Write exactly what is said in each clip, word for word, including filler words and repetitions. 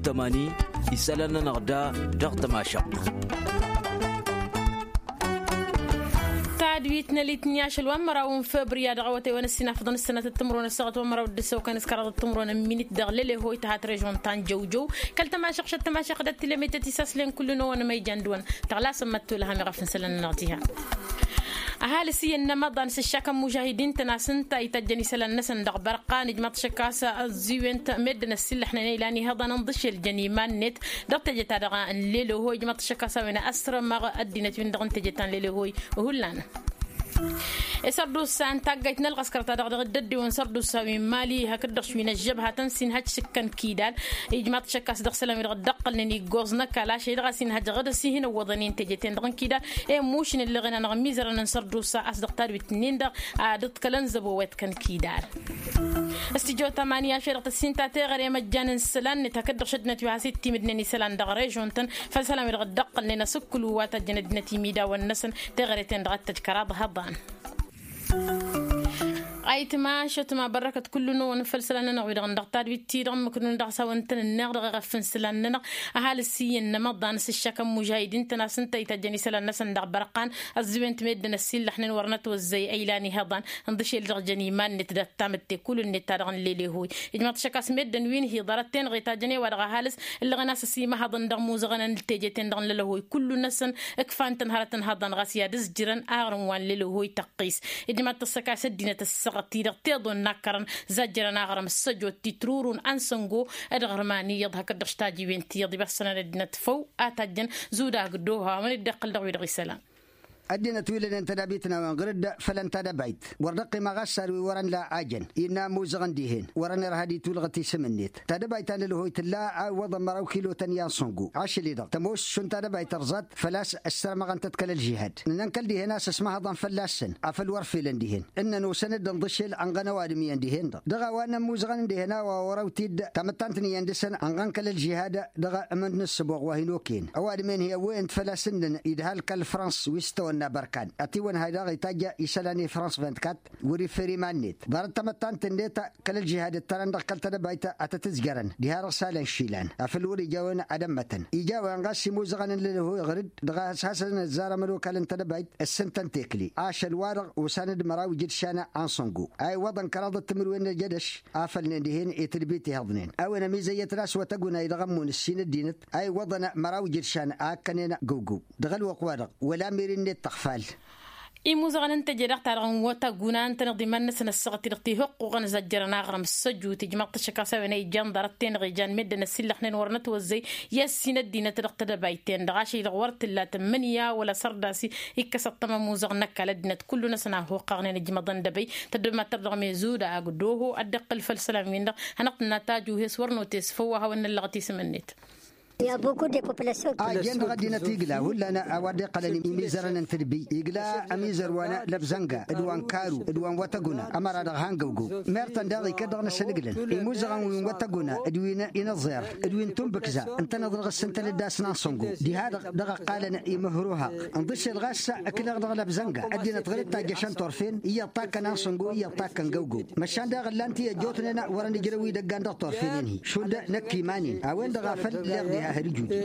Tămani isălan-nănăɣ da dăɣ-tămašăɣt. Tadwit n-elitni ašăl wa n-măraw n-febri a dăɣ-awătay wa n-ăssinafăḍăn s-sănatăt timǝrwen ăssaɣăt wa n-măraw d-ǝssăwkăn s-kăraḍăt timǝrwen n-minit dăɣ-lelehoi tăhat režon ta n-jăwjăw. Kăl-tămašăɣšăt tămašăɣ d-ăttilămetăt isaslăn kull-năwăn măyjan d-wăn tăɣlasăn măttul hami ɣef n-isălan-nănăɣ tiha. Ăhalǝs iyyăn n-ămaḍan s-ǝššakăn mužahidin-tăn a-s ǝnta itajjăn isălan-năsăn dăɣ-bărqan ijmaḍ-t šăkk a-s ăẓẓiwen-t meddǝn ăssiillăxnen ilan ihăḍan ǝnḍǝšel jăn iman-net. Dăɣ-teje-ta-dăɣ n-leleho ijmaḍ-t šăkk a-s a-wen ăsrămăɣ ăddinăt-win-dăɣ n-teje ta n-leleho. Hullan isărdusa n-taggayt n-ălɣăskăr ta dăɣ-dăɣ dd-ăddeewăn isărdusa wi n-mali hakd-dăɣ šwin ăžžăbha tăn-sinhăj s-ǝkkăn kidal. Ijmaḍ-t šăkk a-s dăɣ-isălan wi-dăɣ dd-ăqqălnen iggoẓ n-ăkall ašăl-i-dăɣ a-s inhăj ɣǝd ăsihǝnăwwăḍăn i n-teje-ten-dăɣ n-kidal. Emušǝn ǝllăɣen-anăɣ ămizărăn n-isărdusa a-s dăɣ-tadwit-nin-dăɣ ad-ǝḍkălăn zăbo wa iḍkăn kidal. Ăstijăw tamani ašăl-i-dăɣ tăssinta teɣăre măjjan n-isălan-net hakd-dăɣ šăddinăt wi has-ittimǝdnen isălan dăɣ-režon-tăn făll-isălan wi-dăɣ dd-ăqqălnen asǝkkǝlu wa tajjăn ăddinăt imidawăn-năsăn. Teɣăre-ten-dăɣ a t-tăj kăraḍ hăḍan. Ayǝtma ašăt ma bărrăkăt kullu-năwăn făll-isălan-nănăɣ wi-dăɣ n-dăɣ tadwit-ti-dăɣ ǝmmǝk-năwăn dăɣ-s a-wăn tăn-ǝnneɣ dăɣ-eɣăf n-isălan-nănăɣ. Ăhalǝs iyyăn n-amăḍan s-ǝššakăn mužahidin-tăn a-s ǝnta itajjăn isălan-năsăn dăɣ-bărqan. Ăẓẓiwen-t meddǝn ăsillăxnen wăr nătwăzzăy ăylan ihăḍan ǝnḍǝšel dăɣ-jăn iman-net dat-tamǝtte kull-net ta dăɣ-nǝllelehoj. Ijmăḍ-t šăkk a-s meddǝn wi n-hi-ḍarăt-ten-dăɣ itajjăn i-wa-dăɣ ăhalǝs ǝllăɣen a-s ăsimăhăḍăn dăɣ-imuzăɣăn n-teje-ten-dăɣ n-lălăhoj kullu-năsăn. Ǝkfan-tăn hărăt ǝnhăḍăn ɣas i-ad-ǝzjǝrăn aɣrǝm wa n-lelăhoj tăqqis. Ijmăḍ-t ăssăka a-s ăddinăt ăssăɣăt-i-dăɣ tiḍon n-akkărăn zajjărăn aɣrǝm s-ăjot titrurun ansăngo. Ed ɣărman iyyăḍ hakd-dăɣ s-tajiwen tiyyăḍ ibassănăn ăddinăt făw a tajjăn zudag d-oha wa n-dd-iqqǝl dăɣ-wi-dăɣ isălan. Ăddinăt wi lănen tădabit n-a-wen ɣǝr-dd fălăn tadăbayt wăr dd-ăqqima ɣas sarwi wărăn la ajăn innă amuzăɣăn dihen wărăn irha d-itwǝlɣăt isǝm-net. Tadăbayt ta n-lălăhoj tǝlla a iwwăḍăn măraw kilotăn i-ansăngo ašăl-i-dăɣ tămoos šund tadăbayt ărẓat făl-a-s ăssărmăɣăn-tăt kăl-ălžihad. Nǝnăn kăl-dihen a-s ăsmăhăḍăn fălla-săn afăl wăr felăn dihen ǝnnăn osăn-dd ănḍǝšel ănɣăn ăwadǝm iyyăn dihen-dăɣ dăɣ-a-wa n-ămmuzăɣăn n-dihen a-wa wăr-ăwt-dd tamăttant n-iyyăn dăɣ-săn ănɣăn kăl-ălžihad. Dăɣ-amǝnd n-ǝssǝboɣ wa hin-okăyăn ăwadǝm-en hi-ăwwăyăn-t făl-a-s ǝnnăn idhal kăl-frans wi s-tăwănna bărkan ătiwănhay daɣ itajj isălan i-frans vint-kat. Wăr-iffer iman-net ḍarăt tamăttant-net kăl-ălžihad ǝttărăn dăɣ-kăl-tedăbayt a tăt-ǝzjărăn diha-dăɣ s-alăn išilan afăl wăr-ija a-wen ad-ămmătăn ija a-wen ɣas imuzăɣăn n-lălăhoj ɣǝr-dd dăɣ-a-s hasăn-ăzzar amănokal n-tedăbayt. Ǝssǝntăn tekli ašăl-wa-dăɣ osan-dd măraw ijǝdšan. Anṣăngo a iwwăḍăn kăraḍăt timǝrwen n-ejădăš afălnen dihen i-tǝdbit ihăḍnen a-wen ămizăyyătăn a-s wătăguna i-dăɣ-ămmun ǝssin ăddinăt a iwwăḍăn măraw ijǝdšan a ǝkkănen găwgăw. Dăɣ-ălwăqq-wa-dăɣ wăla miri-net tăɣfal. Imuzăɣăn n-teje-dăɣ-ta-dăɣ n-wătăguna ǝntăneḍ iman-năsăn ăssaɣăt-i-dăɣ tihǝqqoɣăn zajjărăn aɣrǝm s-săjut ijmăḍ-t ăššăk a-s a-wen a ijjan ḍarăt-ten-dăɣ ijan meddǝn ăsillăxnen wăr nătwăzzăy i-ăssin ăddinăt dăɣ-tedăbayt-ten-dăɣ ašăl-i-dăɣ wăr tǝlla tǝmmǝnǝya wăla sărdas. Ikkăs ăṭṭăma imuzăɣăn n-ăkall ăddinăt kullu-năsăn a hoqqăɣnen ijmăḍăn dăbăy tăddămattăr dăɣ-mezuda agdăho ad-dd-iqqǝl făll-isălan-win-dăɣ. Hanăɣ-tǝnna tajuhes wăr notes făw a hawăn-năllăɣăt isǝm-net. A jen dăɣ-ăddinăt igla hullan a-wa dd-iqqălăn imizărăn n-tǝdbi igla ămizăr wa n-lăbzănga d-wa n-karu d-wa n-wătăguna ămăra dăɣ-hangăwgăw. Mertăn daɣ ikăd dăɣ-năsăn ǝglăn imuzăɣăn wi n-wătăguna d-wi n-inăẓẓer d-wi n-tunbǝkza ǝntăneḍ dăɣ-s ǝntănăt d-asnan săngo diha-dăɣ dăɣ-ăqqalăn imǝhrǝwhăɣ. Ǝnḍǝšel ɣas ǝkleɣ dăɣ-lăbzănga ăddinăt ɣǝr-dd tajjăšăn turfen iyyăḍ takkăn ansăngo iyyăḍ takkăn găwgăw. Măšan daɣ ǝllan-t i-ăjjootnen wărăn ǝjrăw idăggan dăɣ-turfenen-hi šund năkk iman-in a-wen-dăɣ a făl leɣ diha hărǝj ujǝy.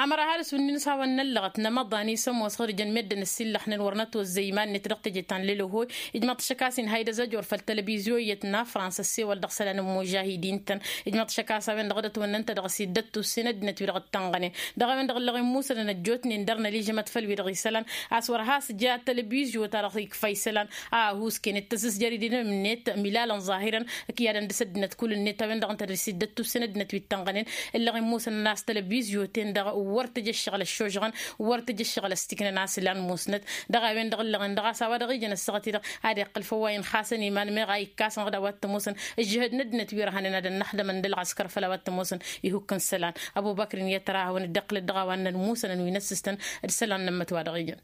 Ămăra ăhalǝs wǝnnin s-hawăn-năllăɣăt n-amăḍan isămoos ɣǝr-ijăn meddǝn ăsillăxnen wăr nătwăzzăy iman-net dăɣ-teje ta n-lelăhoj. Ijmăḍ-t ašăk a-s inha idăzăj wăr făll-telăbizyuyăt n-afrans ăssewăl dăɣ-isălan n-imužahidin-tăn. Ijmăḍ-t ašăk a-s a-wen-dăɣ dd-ătwănnăn-t dăɣ-s iddăt tussen ăddinăt wi-dăɣ ǝttănɣănen dăɣ-a-wen-dăɣ ǝllăɣ imusănăn ăjjootnen dăr-năližămăt făll-wi-dăɣ isălan. A-s wăr has-ja telăbizyo-ta-dăɣ ikfa isălan a ăhuusken d-tăsǝsjăr idinăm-net milalăn ẓahirăn. Ǝkyadăn dăr-s ăddinăt kull-net a-wen-dăɣ ǝnta dăr-s iddăt tussen ăddinăt wi ǝttănɣănen. Ǝllăɣ imusănăn a-s telăbizyo-ten-dăɣ wăr tăj ăššăɣǝl ăššožăɣăn wăr tăj ăššăɣǝl ăstiknăn a-s lan musnăt. Dăɣ-a-wen-dăɣ ǝllăɣen dăɣ-a-s a-wa dăɣ-ijăn ăssaɣăt-i-dăɣ ad-iqqǝl făw wa inxasăn iman meɣ a ikkasăn ɣǝd a-wa t-ămoosăn ǝžžǝhăd n-ăddinăt wi ărhănen ad-ănnăxdămăn d-ălɣăskăr făll-a-wa t-ămoosăn. Ihukk n-isălan ăbubăkr-in i-ad-tăra a hawăn-dd-iqqǝl-dd dăɣ-a-wa n-ălmusăn wi n-ăssistăn d-isălan n-ămmăt wa dăɣ-ijăn.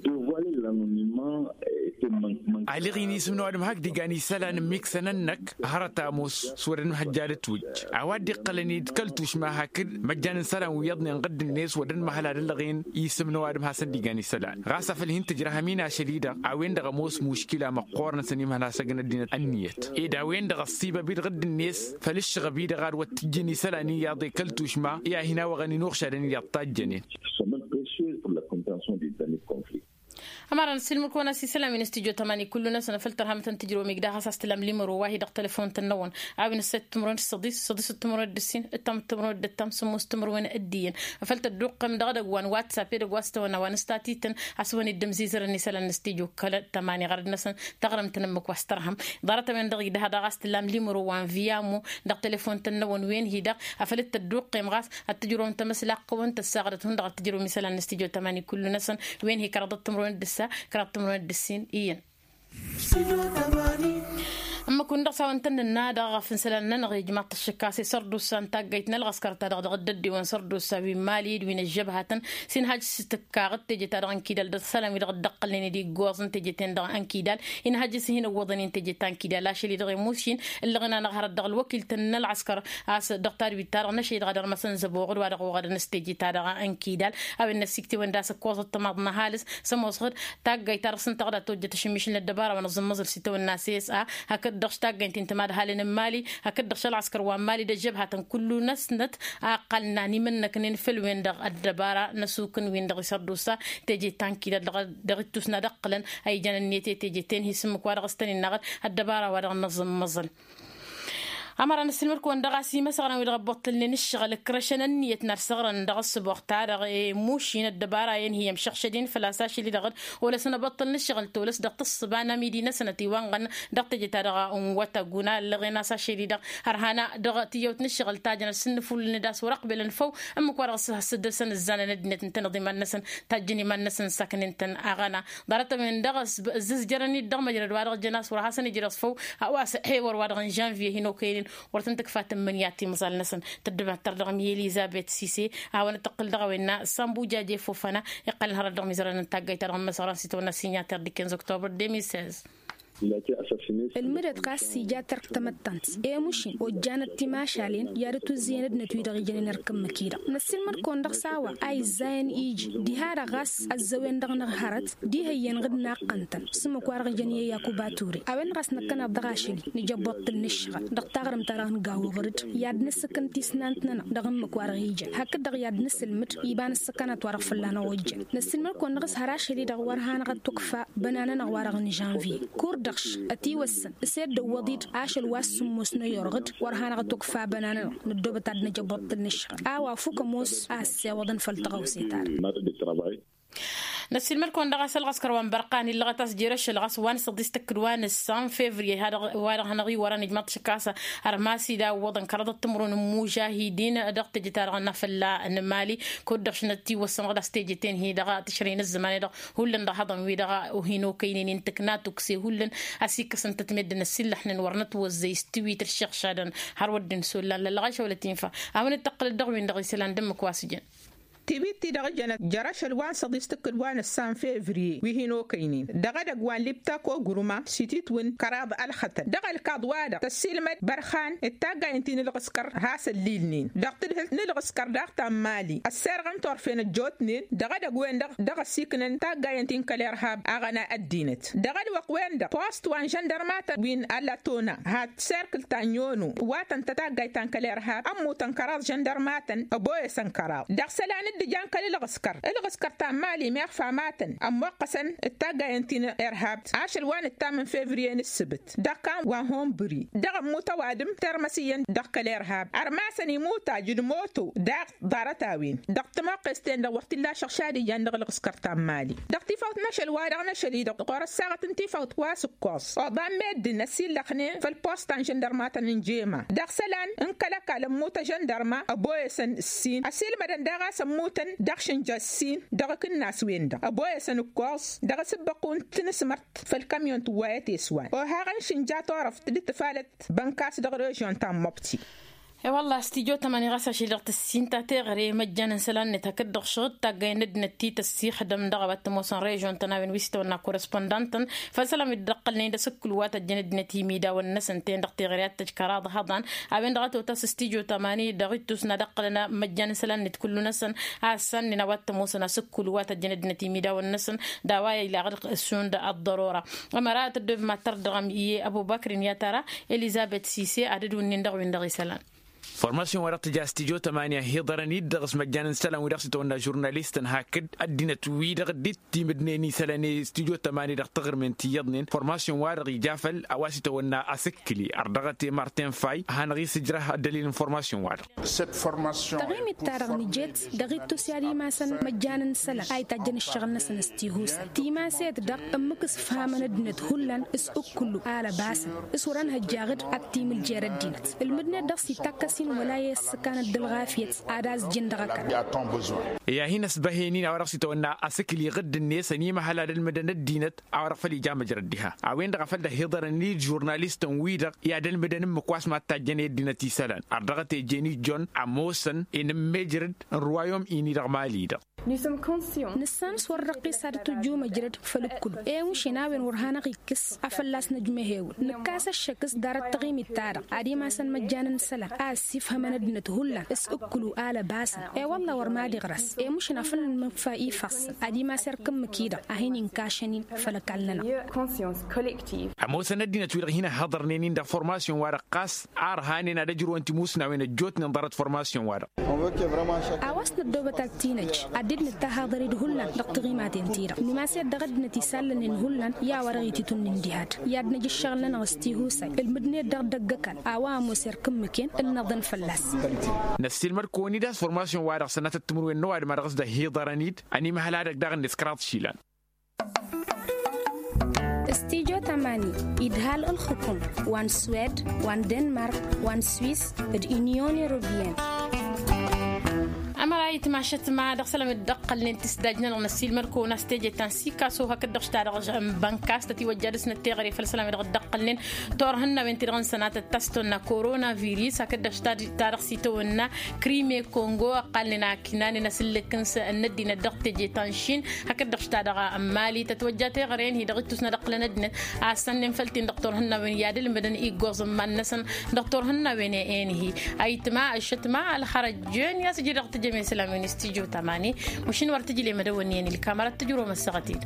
Dovale l-anonima. Alăɣ-in isǝm n-ăwadǝm hakd igan isălan n-imiksăn-năk hărăt a ămoos s-wăr ănhăjja d-ătwǝjj a-wa dd-iqqălăn-dd kăl-tušma hakd măjjan n-isălan wi iyyăḍnen ɣǝdd-net wăr dd-mahăl ad-ăllăɣen isǝm n-ăwadǝm hasăn-dd-igan isălan ɣas afăl hin-tǝjrăhăm-in ašăl-i-dăɣ a-wen-dăɣ ămoos muškila măqqoorăn s-ănimhăl hasăgg n-ăddinăt ănniyăt ed a-wen-dăɣ ăṣṣibăb-dd ɣǝdd-net făll-ǝššăɣăb-i-dăɣ ad-wăr t-ǝjjǝn isălan iyyăḍ i-kăl-tušma i-ad-hin-awăɣăn inuɣšadăn iyyăḍ tajjănen. Ămăra n-ăssiilmăd-kăwăn a-s isălan wi n-ăstijjo tămani kullu-năsăn afăl tărhăm tăn-tǝjrăwăm igdăɣ a-s tǝlam limăro wa hi-dăɣ tălăfon-tăn-năwăn a-wen ǝssăy d-timǝrwen d-săḍis săḍis d-timǝrwen d-ǝssin ǝttam d-timǝrwen d-ǝttam sǝmmos d-timǝrwen d-iyyăn afăl tădduqqăm dăɣ-edăgg wa n-watsapp edăgg wa s-tăwănna wa n-ǝstatităn a-s wăn-dd-ǝmzizărăn isălan n-ăstijjo kăl-tămani ɣărăd-năsăn taɣrǝmt-nănămăk wa s-tărhăm ḍarăt-a-wen-dăɣ igdăh daɣ a-s tǝlam limăro wa n-viamo dăɣ-telefon-tăn-năwăn wen-hi-dăɣ afăl dd-tădduqqem ɣas ad-tǝjrăwăm tamăslaqqăwăn tăssaɣdăt hundăɣ ad-tǝjrăwăm isălan n-ăstijjo tămani kullu-năsăn wen-hi kăraḍăt timǝrwen d-ǝssa kăraḍăt timǝrwen d-ǝssin iyyăn. Ǝmmǝk-win-dăɣ s-a-wăn tăn-nǝnna dăɣ-aɣăf n-isălan-nănăɣ ijmaḍ-t ăššǝkkas i-sărdusa n-taggayt n-ălɣăskăr-ta-dăɣ dăɣ-dd-ăddiwăn sărdusa wi n-mali d-wi n-ăžžăbhatăn s-inhăj s-tǝkkaɣ d-teje-ta-dăɣ n-kidal dăɣ-isălan-wi-dăɣ dd-ăqqălnen d-iggoẓ n-teje-ten-dăɣ n-kidal inhăj s-hin-ǝwwăḍăn-in teje ta n-kidal ašăl-i-dăɣ i-mušin ǝllăɣăn-anăɣ hărăt dăɣ-ălwăkil-tăn n-ălɣăskăr a-s dăɣ-tadwit-ta-dăɣ n-ašăl-i-dăɣ ad-ărmăsăn zăboɣăd wa dăɣ-oɣădăn s-teje-ta-dăɣ n-kidal a-wen n-ăssiktewăn d-asǝkkoẓăt tămaḍ n-ăhalǝs s-ămoosăɣ-dd taggayt-ta-dăɣ s-ǝnta ɣǝd a tojjăt ašǝmmišǝl n-ăddăbara wa n-aẓǝmmăẓǝl s-itawănna s-s a hakd-dăɣ taggayt-in tămadhalăn n-mali hakd-dăɣ ălɣăskăr wa n-mali d-ăžžăbhatăn kullu-năsnăt a ǝqqălna n-imǝnnăknen făll-wen-dăɣ ăddăbara n-ăsukǝn-win-dăɣ isărdusa teje ta n-kidal dăɣ-ittus n-ad-ǝqqǝlăn a ijăn ǝnniyăt i-teje-ten hi-s ǝmmǝk wa dăɣ-s tăn-innăɣ-dd ăddăbara wa dăɣ-năẓǝmmăẓǝl. Ămăra n-ăssiilmăd-kăwăn dăɣ-a-s imăsăɣrăn wi-dăɣ ăbbuṭṭǝlnen ǝššăɣǝl ǝkrăšăn ǝnniyăt n-ad-săɣrăn dăɣ-ăssăboɣ-ta-dăɣ i-mušin ăddăbara-en hi-ămšăɣšăden făl-a-s ašăl-i-dăɣ d-olăsăn ăbbuṭṭǝl n-ǝššăɣǝl tolăs dăɣ-tǝssǝba n-amidi-năsăn ătiwănɣăn dăɣ-teje-ta-dăɣ n-wătăguna ǝllăɣen a-s ašăl-i-dăɣ hărhana dăɣ-tiyyăwt n-ǝššăɣǝl ta jăn ăsǝnnǝfulǝlned a-s wăr-ăqbelăn făw ǝmmǝk wa dăɣ-s ăssăddăsăn ǝzzanăn ăddinăt ǝntăneḍ iman-năsăn tajjăn iman-năsăn s-aknen-tăn aɣăna ḍarăt-a-wen-dăɣ ăzzǝzjărăn-dd dăɣ-măjrăd wa dăɣ-jăn a-s wăr hasăn-ijrăẓ făw a-wa s-ăhewăr wa dăɣ-n žănviye hin-okăynen wăr tăn-tǝkfa tǝmmǝnǝya timẓal-năsăn tăddăbattăr dăɣ-mi elizăbet sise a hawăn-dd-tăqqǝl dăɣ-a-wen n-a sănbujaj efofăna iqqălăn hărăt dăɣ-mizărăn n-taggayt-ta-dăɣ n-măsɣăran s-itawănna sinyatăr d-ikenz oktobrăt de mil sez. Ǝlmǝdăt ɣas ija tărk tamăttant i-mušin ojjanăt timašalen i-ad-ătuzzǝyăn ăddinăt wi-dăɣ ijănen ărk ǝmmǝk-i-dăɣ năssiilmăd-kăwăn dăɣ-s a-wa a izzayăn iji diha-dăɣ ɣas ăzzăwen dăɣ-năɣ hărăt diha iyyăn ɣǝd n-aqqăn-tăn s-ǝmmǝk wa dăɣ-ijăn i-yakuba ture a-wen-dăɣ a-s năkkăneḍ dăɣ-ašăl-i nǝjăbbuḍ-tǝl n-ǝššăɣǝl dăɣ-taɣrǝmt-ta-dăɣ n-gawăɣrǝd i-ad-nǝssǝkǝn tisnant-nănăɣ dăɣ-ǝmmǝk wa dăɣ-ijăn hakd-dăɣ i-ad-nǝsǝlmǝd iba n-ǝssǝkănăt wa dăɣ-fălla-năɣ ojjăn năssiilmăd-kăwăn dăɣ-s har ašăl-i-dăɣ wăr hanăɣ-ătwăkfa bănanănăɣ wa dăɣ-n žănviye kur-dăɣ š-ătiwăssăn s-ed dăwwăḍ-dd ašăl wa s-sǝmmos n-ăyorɣǝd wăr hanăɣ-ătwăkfa bănanănăɣ nǝddobăt ad-nǝjăbbuḍ-tǝl n-ǝššăɣǝl a-wa fuk ămoos a ăssewăḍăn făll-tăɣawse-ta-dăɣ. Năssiilmăd-kăwăn dăɣ-a-s ălɣăskăr wa n-bărqan illăɣăt a-s jer-ašăl ɣas wa n-săḍis tǝkkǝd wa n-ǝssan fevriye wa-dăɣ hanăɣ-iwărăn ijmăḍ-t šăkk a-s ărmas idawwăḍăn kăraḍăt timǝrwen n-imužahidin dăɣ-teje-ta-dăɣ n-afălla n-mali kud-dăɣ š-nătiwăssănăɣ d-a-s teje-ten-hi-dăɣ tǝšrăy n-ăzzăman-i-dăɣ hullan dăɣ-haḍăn-wi-dăɣ hin-okăynen intǝkna tukse hullan a-s ikkăsăn-tăt meddǝn ăsillăxnen wăr nătwăzzăy s-tiwit ǝššăɣšadăn har wăr dd-insollan lălɣašăw lătinfa a-wen dd-tăqqǝlăt dăɣ-win-dăɣ isălan d-ǝmmǝk wa s-jăn. Tiwit-ti-dăɣ jănăt jer-ašăl wa n-săḍis tǝkkǝd wa n-ǝssan fevriye wi hin-okăynen dăɣ-edăgg wa n-libtak ogruma s-ititwǝn kăraḍ ălxătăn dăɣ-ălkaḍ-wa-dăɣ tăssiilmăd bărxan d-taggayăn ti n-ǝlɣǝskăr has-ăllilnen dăɣ-tǝdhǝlt n-ǝlɣǝskăr daɣ ta n-mali ăsserɣăn turfen ăjjootnen dăɣ-edăgg-wen-dăɣ dăɣ-ăsiknăn taggayăn ti n-kăl-irhab aɣăna ăddinăt dăɣ-ălwăqq-wen-dăɣ post wa n-žăndărmatăn wi n-alătona hat serkǝl ta n-yono wa tăn-tăt taggayt ta n-kăl-irhab ămmutăn kăraḍ žăndărmatăn ăboyăsăn kăraḍ dăɣ-isălan dd-ǝjan kăl-ǝlɣǝskăr ǝlɣǝskăr ta n-mali meɣ famatăn ămmoqqăsăn d-taggayăn ti n-irhab ašăl wa nǝttam n-fevriye n-ǝssǝbǝt dăɣ-kan wa n-hunbǝri dăɣ-ămmut ăwadǝm termăs iyyăn dăɣ-kăl-irhab ărmasăn imutaj d-moto daɣ ḍarăt-a-wen dăɣ-timoqqes-ten-dăɣ wăr t-illa ašăɣšad ijan dăɣ-ǝlɣǝskăr ta n-mali dăɣ-tifawt n-ašăl-wa-dăɣ n-ašăl-i-dăɣ ɣur-ăssaɣăt n-tifawt wa s-ǝkkoẓ oḍan meddǝn ăsillăxnen făll-posta n-žăndărmatăn n-jema dăɣ-isălan n-kăl-ăkall ămmut ăžăndărma ăboyăsăn ǝssin ăsilmădăn daɣ a-s ămmutăn dăɣ-išǝnja ǝssin dăɣ-akǝnnas-wen-dăɣ ăboyăsăn ǝkkoẓ dăɣ-asǝbbăqq wa n-tinǝsmărt făll-kamyon tǝwwayăt i-s wa n-ohaɣăn išǝnja turăft dd-tǝfalăt bănkas dăɣ-režion ta n-mobti. E-wălla s-tijot ămani ɣas ašăl dăɣ-tǝssinta teɣăre măjjan n-isălan-net hakd-dăɣ šăɣǝd taggay n-ăddinăt ti tăssixdăm dăɣ-a-wa t-ămoosăn režon-tăn a-wen wi s-itawănna korespondant-tăn. Făll-isălan wi dd-ăqqălnen d-asǝkkǝl wa tăjjăn ăddinăt imidawen-năsăn ten dăɣ-teɣăre ad-tăj kăraḍ hăḍan a-wen-dăɣ a totăs s-tijot ămani dăɣ-ittus n-ad-ăqqălăn măjjan n-isălan-net kullu-năsăn. A ăssannen a-wa t-ămoosăn asǝkkǝl wa tăjjăn ăddinăt imidawen-năsăn d-a-wa ilaɣ d-ăssun d-ăḍḍărora. Ămăra tăddobem ad-tărdăɣăm i-ăbubăkr-in i-ad-tara elizăbet sise ad-dd-wǝnnin dăɣ-win-dăɣ isălan. Formasyon-wa-dăɣ tǝja s-tijo tămani ăhhiḍărăn-dd dăɣ-s măjjan n-isălan-wi-dăɣ s-itawănna žurnalist-tăn hakd ăddinăt-wi-dăɣ dd-timǝdnen isălan i-s tijo tămani dăɣ-taɣrǝmen ti iyyăḍnen formasyon-wa-dăɣ ija făll-a-wa s-itawănna asǝkkǝli ardăɣăt i-martin fay a hanăɣ-isǝjrăh ăddălil n-formasyon-wa-dăɣ. Taɣimit-ta-dăɣ nǝjet dăɣ-ittus i-ad-imasăn măjjan n-isălan a itajjăn ǝššăɣǝl-năsăn s-tihusay timaset-dăɣ ǝmmǝk s-ǝfhamăn ăddinăt hullan s-ǝkkǝlu alăbasăn s-wăr-ănhăjjaɣ-dd ad-timǝljer ăddinăt. Ǝlmǝdnet dăɣ-s itakkas-in wăla i-ăssăkanăt d-ălɣafyăt ad-azjǝn dăɣ-ăkall. I-ad-hin-ăsbăhen-in a-wa dăɣ-s itawănna asǝkli ɣǝdd-net ănimăhăl ad-ălmǝdăn ăddinăt a-wa dăɣ-făl ija măjrăd diha a-wen-dăɣ a făl dd-ăhhiḍărăn-dd žurnalistăn-wi-dăɣ i-ad-ălmǝdăn ǝmmǝk wa s-mad-tajjăn i-ăddinăt isălan ărdăɣăt ejen ijjon ămoosăn inǝmmejrăd n-ruwayom-ini dăɣ-mali-dăɣ. Nǝssan s-wăr răqqis ad-t-ǝjju măjrăd făll-ǝkkǝlu. Ewǝnšen a-wen wăr hanăɣ-ikkǝs a fălla-s năjmăhewǝl nǝkkas ăššăk s-ḍarăt taɣimit-ta-dăɣ ad-imasăn măjjan n-isălan a ăssifhămăn ăddinăt hullan s-ǝkkǝlu alăbasăn. E-wălla wăr mad-iɣrăs emušǝn a făl nǝnfa ifassăn ad-imas erk ǝmmǝk-i-dăɣ a hin-inkašăn-in făll-ăkall-nănăɣ. Ămoosăn ăddinăt-wi-dăɣ hin-ăhhăḍărnen-in dăɣ-formasyon-wa-dăɣ ɣas a ărhanen ad-ăjrǝwăn timusnawen ăjjootnen ḍarăt formasyon-wa-dăɣ. A-wa s-năddoobăt ad-t-inăj ad-dd-nǝttăhaḍăr-dd hullan dăɣ-tiɣimaten-ti-dăɣ nǝmas-dd dăɣ-ăddinăt isallănen hullan i-a-wa dăɣ-ititun n-indihad i-ad-năj ǝššăɣǝl-nănăɣ s-tihusay ǝlmǝdnet-dăɣ dăgg-ăkall a-wa ămoos erk ǝmmǝken ǝlnăḍăn fălla-s. Năssiilmăd-kăwăn-dd a-s formasyon-wa-dăɣ sănatăt timǝrwen n-ăwadǝm a dăɣ-s dd-ăhhiḍărăn-dd ănimăhăl-ad-ăgg daɣ-net kăraḍ išilan. S-tijo tamani idhal ǝlxǝkum wa n-swed wa n-denmark wa n-swis d-inyon europeyăn. Ămăra itmašăt ma dăɣ-isălan wi dd-ăqqălnen tisdaj-nănăɣ năssiilmăd-kăwăn a-s teje ta n-sikaso hakd-dăɣ s-ta-dăɣ n-bănkas tătiwăjja dăɣ-snăt teɣăre făll-isălan wi dăɣ-dd-ăqqălnen torhǝnnawen ti-dăɣ n-sănatăt ta s-tonna koronaviris hakd-dăɣ s-ta-dăɣ s-itawănna krime kongo ăqqalnen a kinanen asǝllǝk n-ăddinăt dăɣ-teje ta n-šin hakd-dăɣ s-ta-dăɣ n-mali tătwăjja teɣăre-en-hi dăɣ-ittus n-ad-ăqqǝlăn ăddinăt a ăssănnen făll-ten dăɣ-torhǝnnawen i-ad-ǝlmǝdăn iggoẓ n-iman-năsăn. Dăɣ-torhǝnnawen-en-hi ayǝtma ăššătma ălxărăjjen i-a-s ǝjǝy dăɣ-tǝjjăme isălan wi n-istijjo tamani. Mašin wăr tǝjlem ad-ăwănni-en ilkam ărăt tǝjrǝwăm ăssaɣăt-dd.